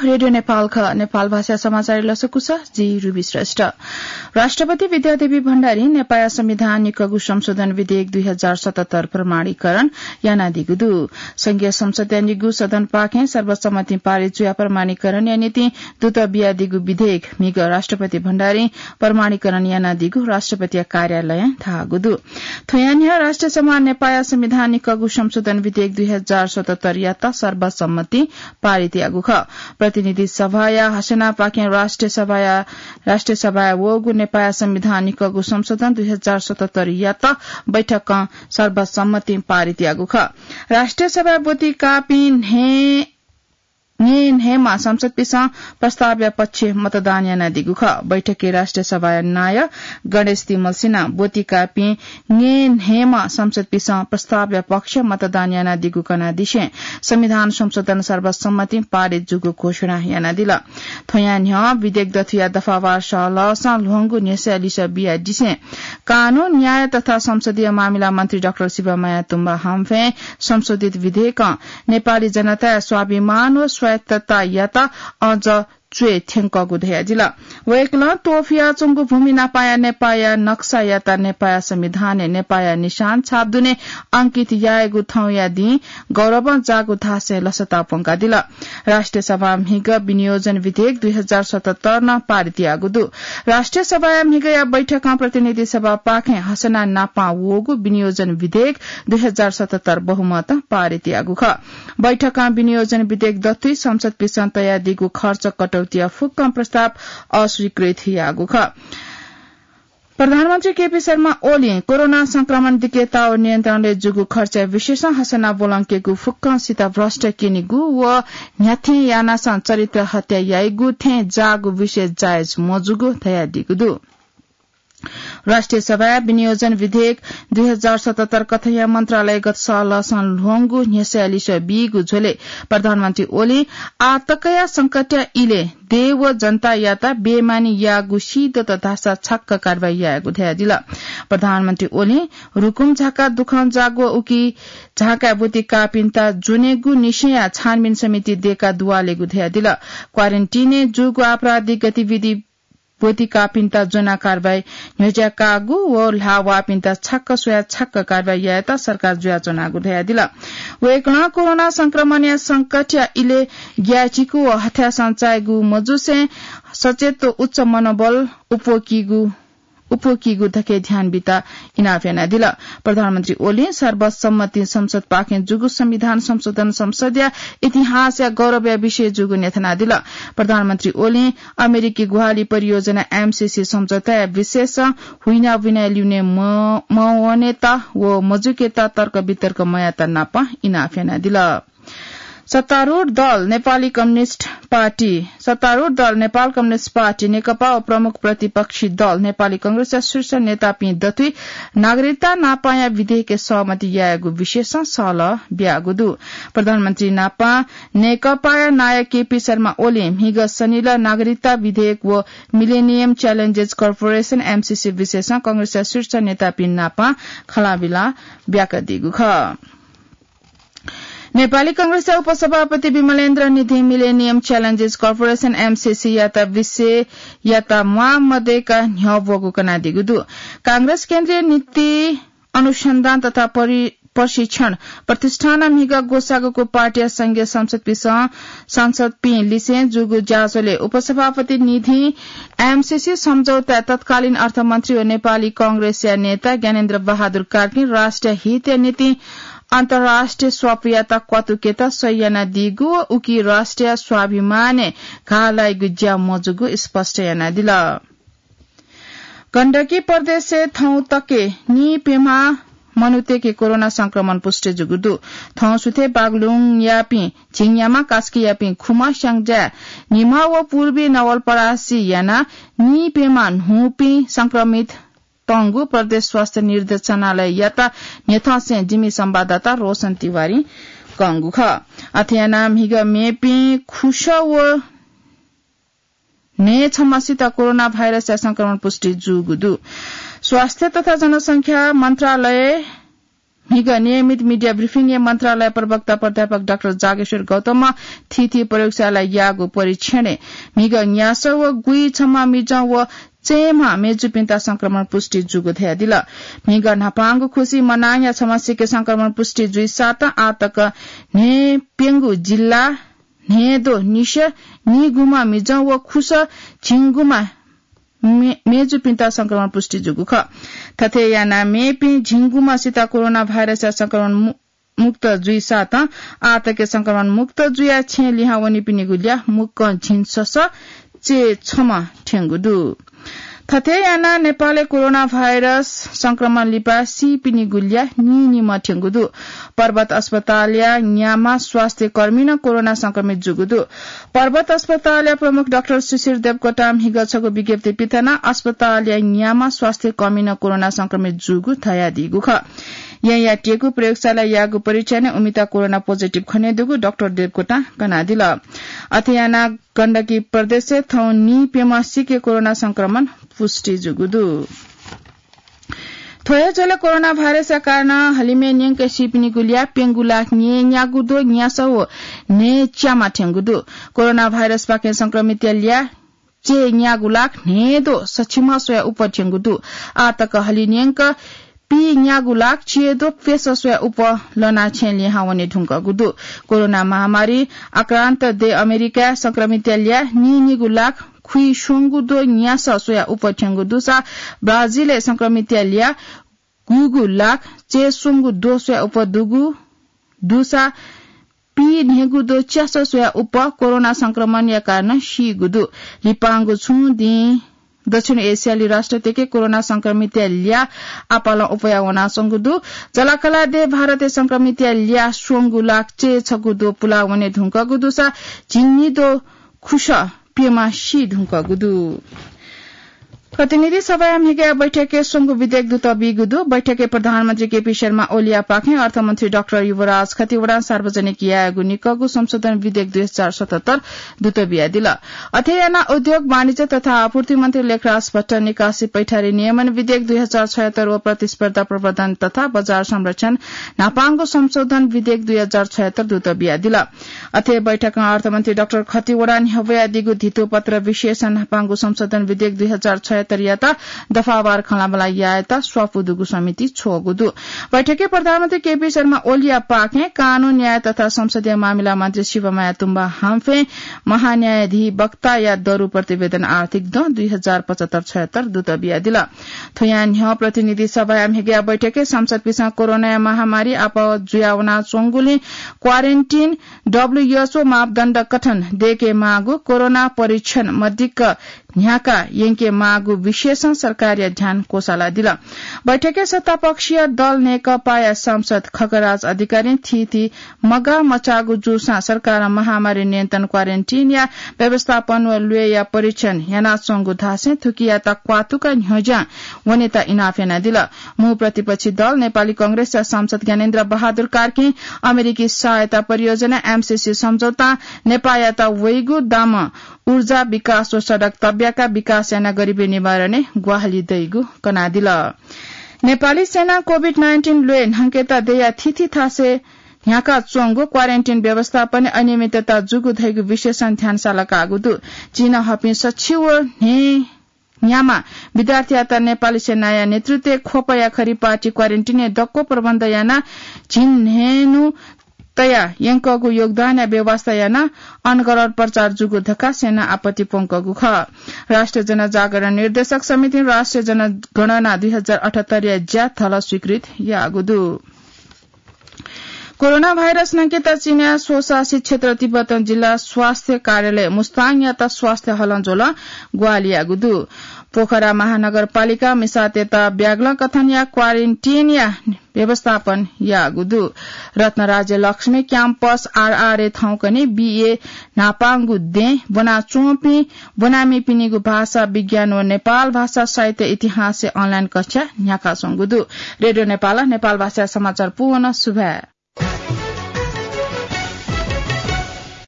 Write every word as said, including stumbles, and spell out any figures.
रेडियो नेपाल ख, नेपाल भाषा समाचार लसकुस, जि रुबी श्रेष्ठ। राष्ट्रपति विद्यादेवी भण्डारी नेपाया संविधान निकःगु संशोधन विधेयक दुई हजार सतहत्तर प्रमाणीकरण यानादीगु दु। संघीय संसदया निगू सदनपाखें सर्वसम्मति पारित जुया प्रमाणीकरणया निंतिं दुत बियादीगु विधेयक म्हिगः राष्ट्रपति भण्डारी प्रमाणीकरण यानादीगु राष्ट्रपतिया कार्यालयं धाःगु दु। थ्वया न्ह्यः राष्ट्रिय सभा नेपाया संविधान निकःगु संशोधन विधेयक दुई हजार सतहत्तर यात सर्वसम्मति पारित याःगु खः। प्रतिनिधि सभाया हसेनापाखें राष्ट्रिय सभाया, राष्ट्रिय सभाया वःगु नेपाया संविधान निकःगु संशोधन दुई हजार सतहत्तर यात बैठकं सर्वसम्मति पारित याःगु खः। राष्ट्रिय सभाया ब्वति काःपिं न्हय् न्हय्‌म्ह सांसदपिसं प्रस्तावया पक्ष मतदान यानादीगु खः। बैठकय् राष्ट्रिय सभाया नायः गणेश तिमल सिन्हां ब्वति काःपिं न्हय्‌म्ह सांसदपिसं प्रस्तावया पक्ष मतदान यानादीगु कनादिसें संविधान संशोधन सर्वसम्मतिं पारित जूगु घोषणा यानादिल। थ्वया न्ह्यः विधेयक दथुया दफावार सहलहसं ल्ह्वंगु न्ह्यसः लिसः बियादिसें कानून, न्याय तथा संसदीय मामिला मन्त्री डाक्टर शिवमाया तुम्बा हाम्फें संशोधित विधेयकं नेपाली जनताया स्वाभिमान व स्वायत्ततायात अझ च्वय् थ्यंकःगु धयादिल। वय्‌कलं त्वपुयाच्वंगु भूमि नापाया नेपाया नक्सायात नेपाया संविधानय् नेपाया निशान छाप दुने अंकित यायेगु थौंया दिं गौरवं जाःगु धासें लसता प्वंकादिल। राष्ट्रिय सभां म्हिगः विनियोजन विधेयक दुई हजार सतहत्तर नं पारित याःगु दु। राष्ट्रिय सभाया म्हिगःया बैठकं प्रतिनिधि सभापाखें हसेना नापां वःगु विनियोजन विधेयक दुई हजार सतहत्तर बहुमतं पारित याःगु खः। बैठकं विनियोजन विधेयक दथुइ संसदपिसं तयादीगु खर्च कटौतीया फुक्कं प्रस्ताव अस्वीकृत याःगु खः। प्रधानमन्त्री केपी शर्मा ओलीं कोरोना संक्रमण दिकेताः नियन्त्रणय् जूगु खर्चया विषयसं हसेना ब्वलंकेगु फुक्कं सित भ्रष्ट क्यनीगु व न्ह्याथें यानासं चरित्र हत्या याइगु थें जाःगु विषय जायज मजूगु धयादीगु दु। राष्ट्रिय सभाया विनियोजन विधेयक दुई हजार सतहत्तर कथंया मन्त्रालयगत सहलहसं ल्ह्वंगु न्ह्यसः लिसः बीगु झ्वलय् प्रधानमन्त्री ओलीं आः तकया संकटया इलय् देय् व जनतायात बेमानी याःगु सीदत धाःसा छक्क कारवाही यायेगु धयादिल। प्रधानमन्त्री ओलीं रुकुम झाका दुखं जाःगु उकी झाकाय् ब्वति काःपिन्त ज्वनेगु निसेंया छानबिन समिति दयेका दुवालेगु धयादिल। क्वारेन्टिनय् जूगु आपराधिक गतिविधि ब्वति काःपिन्त ज्वना कारवाही न्ह्यज्या काःगु व ल्हाः वाःपिन्त छक्क स्वयाः छक्क कारवाही यायेत सरकार जुयाच्वनागु धयादिल। वय्‌कलं कोरोना संक्रमणया संकटया इलय् ग्याःचिकु व हथासं चायेगु मजुसें सचेत व उच्च मनोबल उपवकीगु, उपवकीगु धके ध्यान बीत इनाप यानादिल। प्रधानमन्त्री ओलीं सर्वसम्मति संसदपाखें जूगु संविधान संशोधन संसदया इतिहासया गौरवया विषय जूगु न्ह्यथनादिल। प्रधानमन्त्री ओलीं अमेरिकी ग्वाहालि परियोजना एमसीसी सम्झौताया विषयसं हुइनाबुइना ल्यूने म-, मवनेत व मजुकेत तर्क वितर्क मयात नाप इनाप यानादिल। सत्तारूढ दल नेपाली कम्युनिस्ट पार्टी, सत्तारूढ दल नेपाल कम्युनिस्ट पार्टी नेकपा व प्रमुख प्रतिपक्षी दल नेपाली कांग्रेसया शीर्ष नेतापिं दथुइ नागरिकता नापाया विधेयकय् सहमति यायेगु विषयसं सहलह ब्याःगु दु। प्रधानमन्त्री नापं नेकपाया नायः केपी शर्मा ओलीं म्हिगः शनिलः नागरिकता विधेयक व मिलेनियम च्यालेन्जेस कर्पोरेसन, एमसीसी, विषयसं कांग्रेसया शीर्ष नेतापिं नापं खँल्हाबल्हा ब्याकादीगु खः। नेपाली कांग्रेसया उपसभापति विमलेन्द्र निधिं मिलेनियम च्यालेन्जेस कर्पोरेसन, एमसीसी, यात विषययात म्वाः मदय्‌का न्ह्यः ब्वःगु कनादीगु दु। कांग्रेस केन्द्रीय नीति अनुसन्धान तथा परि-, प्रशिक्षण प्रतिष्ठानं म्हिगः ग्वसाःगु पार्टीया संघीय संसदपिसं, संसदपिं लिसें जूगु ज्याझ्वलय् उपसभापति निधिं एमसीसी सम्झौताय् तत्कालीन अर्थमन्त्री व नेपाली कांग्रेसया नेता ज्ञानेन्द्र बहादुर कार्कीं राष्ट्रिय हितया निंतिं अन्तर्राष्ट्रिय स्वापुयात क्वातुकेत सहि यानादीगु व उकी राष्ट्रिय स्वाभिमानय् घाः लाइगु ज्या मजूगु स्पष्ट यानादिल। गण्डकी प्रदेशय् थौं तक नीप्यम्ह मनूतय्‌के कोरोना संक्रमण पुष्टि जूगु दु। थौं सुथय् बागलुङयापिं झिंयामा, कास्कीयापिं खुम्ह, स्याङ्जाय् निम्ह व पूर्वी नवलपरासी यानाः नीप्यम्ह न्हूपिं संक्रमित तंगु प्रदेश स्वास्थ्य निर्देशनालययात न्ह्यथंसें जिमि संवाददाता रोशन तिवारीं कंगु खः। अथे यानाः म्हिगः मेपिं खुसः व न्हय् छम्हसित कोरोना भाइरसया संक्रमण पुष्टि जूगु दु। स्वास्थ्य तथा जनसंख्या मन्त्रालय म्हिगः नियमित media briefing य् मन्त्रालय प्रवक्ता प्राध्यापक डाक्टर जागेश्वर गौतमं थीथी प्रयोगशालाय् याःगु परीक्षणय् म्हिगः न्यासः व गुइछम्ह मिजं व चय्म्ह मेजुपिन्त संक्रमण पुष्टि जूगु धयादिल। म्हिगः न्हापांगु खुसि मनांया छम्ह सिके संक्रमण पुष्टि जुइसातं आःतक न्हय्प्यंगू जिल्ला न्हय्द्वः निसें निगूम्ह मिजं व खुसः झिंगूम्ह मे-, मेजुपिन्त संक्रमण पुष्टि जूगु खः। थथे यानाः मेपिं झिंगूम्हसित कोरोना भाइरसया संक्रमण मु-, मुक्त जुइसातं आःतक संक्रमण मुक्त जुयाः छेँ लिहां वनीपिनिगु ल्याः मुक्कं झिंछसः चय्छम्ह थ्यंगु दु। थथे यानाः नेपालय् कोरोना भाइरस संक्रमण लिपा सीपिनिगु ल्याः नीनिम्ह थ्यंगु दु। पर्वत अस्पतालया न्याम्ह स्वास्थ्य कर्मी नं कोरोना संक्रमित जूगु दु। पर्वत अस्पतालया प्रमुख डाक्टर शिशिर देवकोटां म्हिगः छगू विज्ञप्ति पिथनाः अस्पतालया न्याम्ह स्वास्थ्य कर्मी नं कोरोना संक्रमित जूगु धयादीगु खः। येँयाः त्यःगु प्रयोगशालाय् याःगु परीक्षणय् उमित कोरोना positive खनेदुगु डाक्टर देवकोटां कनादिल। अथे यानाः गण्डकी प्रदेशय् थौं नीप्यम्ह सिके कोरोना संक्रमण पुष्टि जूगु दु। थ्व हे झ्वलय् कोरोना भाइरसया कारणं हलिमय् न्यंक सीपिनिगु ल्याः प्यंगू लाख न्यय्न्यागू द्वः न्यासः व न्हय्च्याम्ह थ्यंगु दु। कोरोना भाइरसपाखें संक्रमितया ल्याः चय्न्यागू लाख न्हय्द्वः सछिम्ह स्वयाः उप थ्यंगु दु। आःतक हलिन्यंक पीन्यागू लाख चय्द्वः प्यसः स्वयाः उप लनाः छेँ लिहां वने धुंकूगु दु। कोरोना महामारी आक्रान्त देय् अमेरिकाय् संक्रमितया ल्याः नीनिगू लाख खुइस्वंगू द्वः न्यासः स्वयाः उप थ्यंगु दुसा ब्राजिलय् संक्रमितया ल्याः गुइगू लाख चय्स्वंगू द्वः स्वयाः उप दुगु दुसा पीन्हय्गू द्वः च्यासः स्वयाः उप कोरोना संक्रमणया कारणं सीगु दु। लिपांगु छुं दिं दक्षिण एसियाली राष्ट्रतय्के कोरोना संक्रमितया ल्याः आपालं उपया वनाच्वंगु दु। जलाकला देय् भारतय् संक्रमितया ल्याः स्वंगू लाख चय्छगू द्वः पुला वने धुंकूगु दुसा झिंनिद्वः खुसः प्यम्ह सी धुंकूगु दु। प्रतिनिधि सभाया म्हिगःया बैठकय् स्वंगू विधेयक दुत बीगु दु। बैठकय् प्रधानमन्त्री केपी शर्मा ओलीयापाखें अर्थमन्त्री डाक्टर युवराज खतिवडां सार्वजनिक यायेगु निकःगु संशोधन विधेयक दुई हजार सतहत्तर दुत बियादिल। अथे यानाः उद्योग, वाणिज्य तथा आपूर्ति मन्त्री लेखराज भट्ट निकासी पैठारी नियमन विधेयक दुई हजार छयहत्तर व प्रतिस्पर्धा प्रवर्धन तथा बजार संरक्षण न्हापांगु संशोधन विधेयक दुई हजार छयहत्तर दुत बियादिल। अथे बैठकं अर्थमन्त्री डाक्टर खतिवडां न्ह्यब्वयादीगु धितोपत्र विशेष न्हापांगु संशोधन विधेयक दुई हजार छयहत्तरयात दफावार खँल्हाबल्हा यायेत स्वापू दुगु समिति छ्वःगु दु। बैठकय् प्रधानमन्त्री केपी शर्मा ओलीयापाखें कानून, न्याय तथा संसदीय मामिला मन्त्री शिवमाया तुम्बा हाम्फें महान्यायाधिवक्ताया दरु प्रतिवेदन आर्थिक दँ दुई हजार पचहत्तर छयहत्तर दुत बियादिल। थ्वयां न्ह्यः प्रतिनिधि सभाया म्हिगःया बैठकय् सांसदपिसं कोरोनाया महामारी आपः जुयावनाच्वंगुलिं quarantine, WHO मापदण्ड कथं दयेकेमाःगु, कोरोना परीक्षण मदिक्क न्ह्याका यंकेमाःगु विषयसं सरकारया ध्यान क्वसालादिल। बैठकय् सत्तापक्षीय दल नेकपाया सांसद खगराज अधिकारीं थीथी मगाः मचाःगु जूसां सरकारं महामारी नियन्त्रण, quarantine या व्यवस्थापन व ल्वय्या परीक्षण यानाच्वंगु धासें थुकियात क्वातुक न्ह्यज्यां वनेत इनाप यानादिल। मू प्रतिपक्षी दल नेपाली कांग्रेसया सांसद ज्ञानेन्द्र बहादुर कार्कीं अमेरिकी सहायता परियोजना, एमसीसी सम्झौतां नेपाःयात वइगु दामं ऊर्जा विकास व सडक तब्याका विकास यानाः गरिबी निवारणय् ग्वाहालि दइगु कनादिल। नेपाली सेनां COVID nineteen ल्वय् न्हंकेत दयाः थीथी थासय् न्ह्याकाच्वंगु quarantine व्यवस्थापनय् अनियमितता जूगु धइगु विषयसं ध्यान सालाकाःगु दु। चिनाहःपिं सछि व न्हय्न्याम्ह विद्यार्थीयात नेपाली सेनाया नेतृत्वय् ख्वपया खरि पार्टी quarantine य् दक्व प्रबन्ध यानाः झिंन्हय्न्हु तया यंकःगु योगदानया व्यवस्था यानाः अनगढ प्रचार जूगु धकाः सेनां आपत्ति प्वंकूगु खः। राष्ट्रिय जनजागरण निर्देशक समितिं राष्ट्रिय जनगणना दुई हजार अठहत्तरया ज्या धलः स्वीकृत याःगु दु। कोरोना भाइरस न्हंकेत चीनया स्वशासित क्षेत्र तिब्बतं जिल्ला स्वास्थ्य कार्यालय मुस्ताङयात स्वास्थ्य हलंज्वलं ग्वाहालि याःगु दु। पोखरा महानगरपालिकां मिसातय्त ब्यागलं कथंया quarantine या व्यवस्थापन याःगु दु। रत्नराज्य लक्ष्मी क्याम्पस आरआरए थौंकन्हय् बीए न्हापांगु दें ब्वनाच्वंपिं ब्वनामिपिनिगु भाषा विज्ञान व नेपाल भाषा साहित्य इतिहासया online कक्षा न्ह्याकाच्वंगु दु। रेडियो नेपालं नेपाल भाषाया समाचार पूवं सुभाय्।